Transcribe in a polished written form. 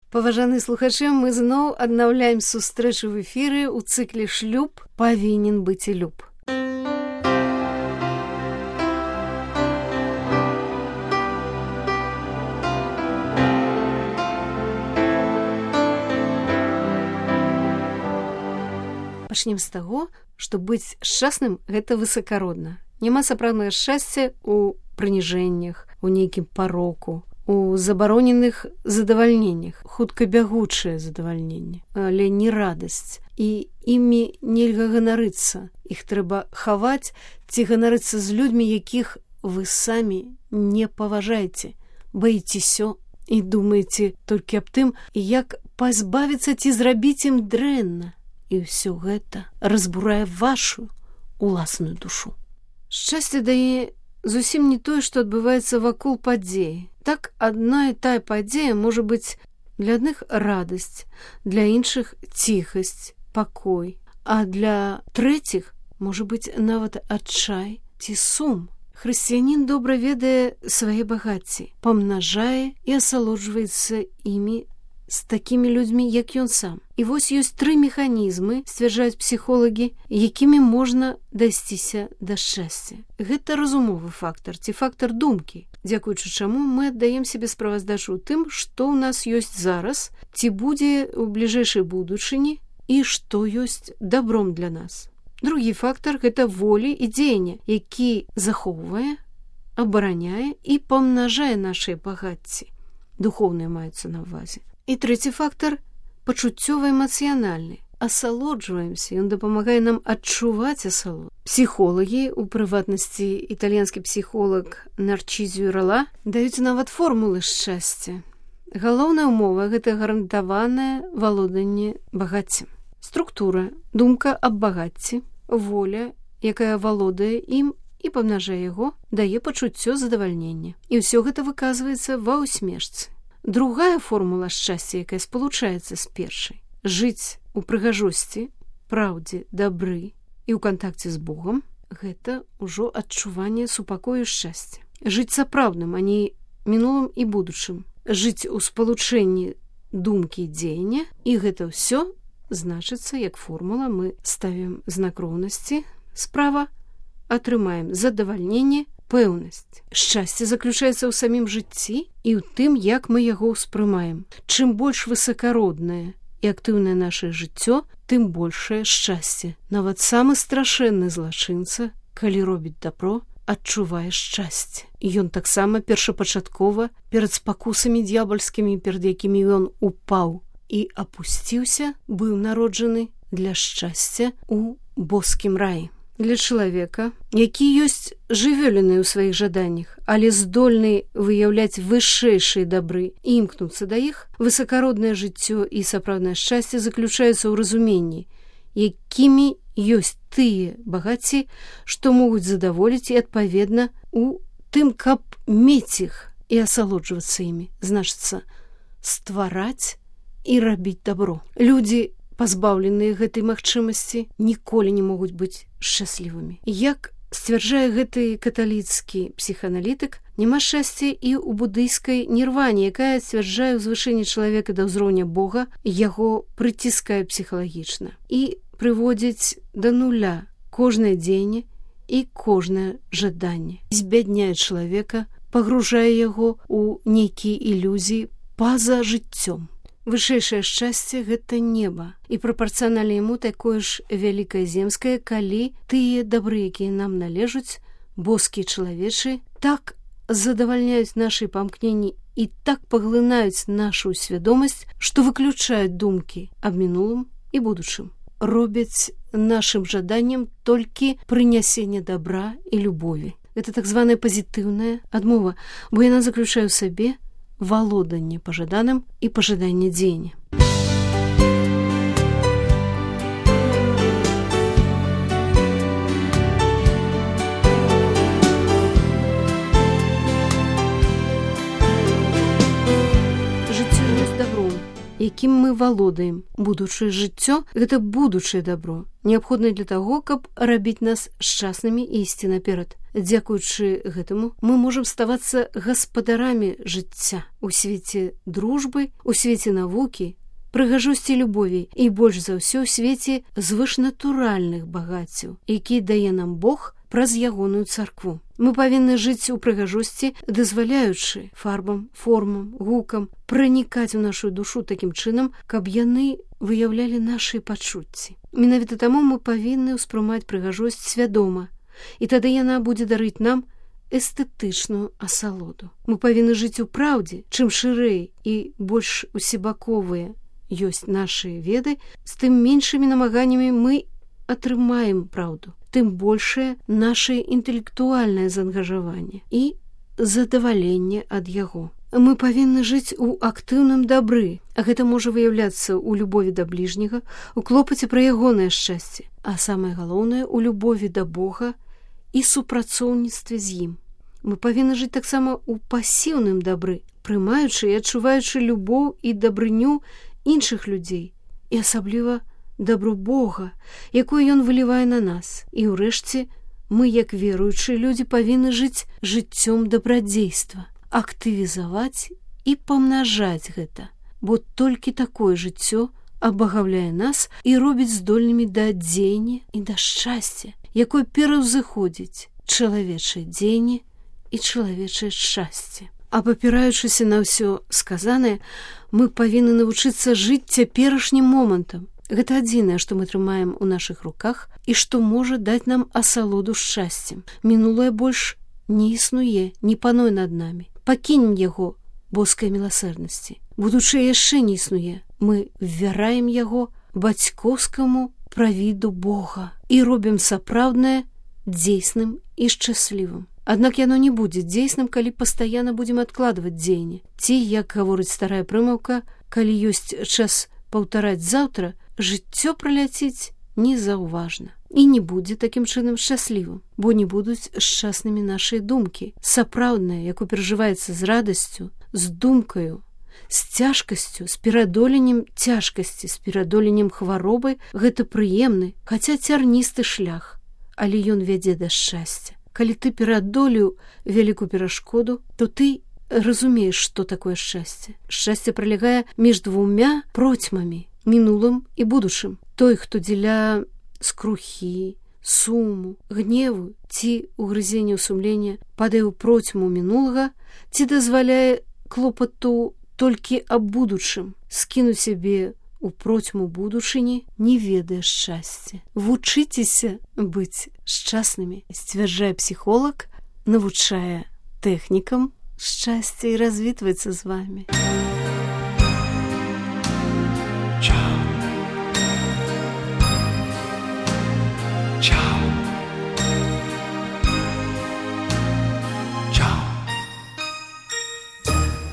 Паважаны слухачы, мы зноў аднаўляем сустрэчу в эфіры ў цыкле «Шлюб павінен быць і люб». Пачнем з таго, што быць шчасным – гэта высакародна. Няма сапраўднага шчасця ў прыніжэннях, у нейкім пароку, у забароненых задавальненнях, хутка бягучае задавальненне, але не радасць. І імі нельга ганарыцца. Іх трэба хаваць ці ганарыцца з людзьмі, якіх вы самі не паважаеце, баіцеся і думаеце толькі аб тым, як пазбавіцца ці зрабіць ім дрэнна. І ўсё гэта разбурае вашу уласную душу. Шчасце дае зусім не тое, што адбываецца вакол падзеі. Так адна і тая падзея можа быць для адных радасць, для іншых ціхасць, пакой, а для трэціх можа быць нават адчай ці сум. Хрысціянін добра ведае свае багацці, памнажае і асалоджваецца імі з такімі людзьмі, як ён сам. І вось ёсць 3 механізмы, сцвярджаюць псіхолагі, якімі можна дасціся да шчасця. Гэта разумовы фактар ці фактар думкі, дзякуючы чаму мы аддаем сябе справаздачу ў тым, што ў нас ёсць зараз, ці будзе ў бліжэйшай будучыні і што ёсць дабром для нас. Другі фактар – гэта волі і дзеяння, які захоўвае, абараняе і памнажае нашыя багацці. Духоўныя маюцца на ўвазе. І трэці фактар – пачуццёва-эмацыянальны. Асалоджваемся, ён дапамагае нам адчуваць асалоду. Псіхолагі, у прыватнасці італьянскі псіхолог Нарчізіо Рала, даюць нават формулы шчасця. Галоўная ўмова – гэта гарантаванае валоданне багаццем. Структура, думка аб багацці, воля, якая валодае ім і памнажае яго, дае пачуццё задавальнення. І ўсё гэта выказваецца ва ўсмешцы. Другая формула шчасця, якая спалучаецца з першай – жыць у прыгажосці, праўдзе, дабры і ў кантакце з Богам – гэта ўжо адчуванне супакою шчасця. Жыць сапраўдным, а не мінулым і будучым. Жыць у спалучэнні думкі і дзеяння, і гэта ўсё значыцца, як формула, мы ставім знак роўнасці, справа, атрымаем задавальненне, пэўнасць. Шчасце заключаецца ў самім жыцці і ў тым, як мы яго ўспрымаем. Чым больш высакароднае і актыўнае нашае жыццё, тым большае шчасце. Нават самы страшэнны злачынца, калі робіць дабро, адчувае шчасце. І ён таксама першапачаткова перад спакусамі д'ябальскімі, перад якімі ён упаў і апусціўся, быў народжаны для шчасця ў боскім раі. Для чалавека, які ёсць жывёліны ў сваіх жаданнях, але здольны выяўляць вышэйшыя дабры і імкнуцца да іх, высакароднае жыццё і сапраўднае шчасце заключаецца ў разуменні, якімі ёсць тыя багацці, што могуць задаволіць і адпаведна у тым, каб мець іх і асалоджвацца імі, значыцца ствараць і рабіць дабро. Людзі, пазбаўленыя гэтай магчымасці, ніколі не могуць быць шчаслівымі. Як сцвярджае гэты каталіцкі псіхааналітык, няма шчасця і ў будыйскай нірване, якая сцвярджае ўзвышэнне чалавека да ўзроўня Бога, яго прыціскае псіхалагічна і прыводзіць да нуля кожнае дзеянне і кожнае жаданне. Збядняе чалавека, пагружае яго ў нейкія ілюзіі па-за жыццём. Вышэйшае шчасце – гэта неба, і прапарцыянальна яму такое ж вялікае земскае, калі тыя дабры, якія нам належаць, боскія чалавечы, так задавальняюць нашы памкненні і так паглынаюць нашу свядомасць, што выключаюць думкі аб мінулым і будучым. Робяць нашым жаданнем толькі прынясенне дабра і любові. Гэта так званая пазітыўная адмова, бо яна заключае ў сабе валоданне пажаданым і пажаданне дзеяння. Жыццё ёсць дабром, якім мы валодаем. Будучае жыццё – гэта будучае дабро, неабходнае для таго, каб рабіць нас шчаснымі і ісці наперад. Дзякуючы гэтаму мы можам ставацца гаспадарамі жыцця у свеце дружбы, у свеце навукі, прыгажосці любові і больш за ўсё ў свеце звышнатуральных багаццяў, які дае нам Бог праз ягоную царкву. Мы павінны жыць у прыгажосці, дазваляючы фарбам, формам, гукам пранікаць у нашу душу такім чынам, каб яны выяўлялі нашы пачуцці. Менавіта таму мы павінны ўспрымаць прыгажосць свядома, і тады яна будзе дарыць нам эстэтычную асалоду. Мы павінны жыць у праўдзе, чым шырэй і больш усебаковыя ёсць нашы веды, з тым меншымі намаганнямі мы атрымаем праўду, тым большае наше інтэлектуальнае заангажаванне і задаваленне ад яго. Мы павінны жыць у актыўным дабры, а гэта можа выяўляцца ў любові да бліжняга, у клопаце пра ягонае шчасце, а самае галоўнае у любові да Бога і супрацоўніцтве з ім. Мы павінны жыць таксама ў пасіўным дабры, прымаючы і адчуваючы любоў і дабрыню іншых людзей, і асабліва дабро Бога, якое ён вылівае на нас. І ўрэшце мы, як веруючыя людзі, павінны жыць жыццём дабрадзейства, актывізаваць і памнажаць гэта, бо толькі такое жыццё абагаўляе нас і робіць здольнымі да дзеяння і да шчасця, якое пераўзыходзіць чалавечае дзеянне і чалавечае шчасце. Абапіраючыся на ўсё сказанае, мы павінны навучыцца жыць цяперашнім момантам. Гэта адзінае, што мы трымаем у нашых руках і што можа даць нам асалоду шчасцем. Мінулае больш не існуе, не пануе над намі. Пакінем яго боскай міласэрнасці. Будучае яшчэ не існуе. Мы ввяраем яго бацькоўскаму правіду Бога і робім сапраўднае дзейсным і шчаслівым. Аднак яно не будзе дзейсным, калі пастаянна будзем адкладваць дзеянне. Ці, як гаворыць старая прымаўка, калі ёсць час паўтараць заўтра, жыццё праляціць незаўважна і не будзе такім чынам шчаслівым, бо не будуць шчаснымі нашыя думкі. Сапраўднае, якое перажываецца з радасцю, з думкаю, з цяжкасцю, з перадоленнем цяжкасці, з перадоленнем хваробы, гэта прыемны, хаця цярністы шлях, але ён вядзе да шчасця. Калі ты перадолеў вялікую перашкоду, то ты разумееш, што такое шчасце. Шчасце пралягае між двумя процьмамі, мінулым і будучым. Той, хто дзеля скрухі, суму, гневу ці угрызення сумлення падае ў процьму мінулага, ці дазваляе клопату толькі аб будучым, скінуць сябе у процьму будучыні, не ведае шчасця. Вучыцеся быць шчаснымі, сцвярджае псіхолог, навучае тэхнікам шчасця і развітваецца з вамі.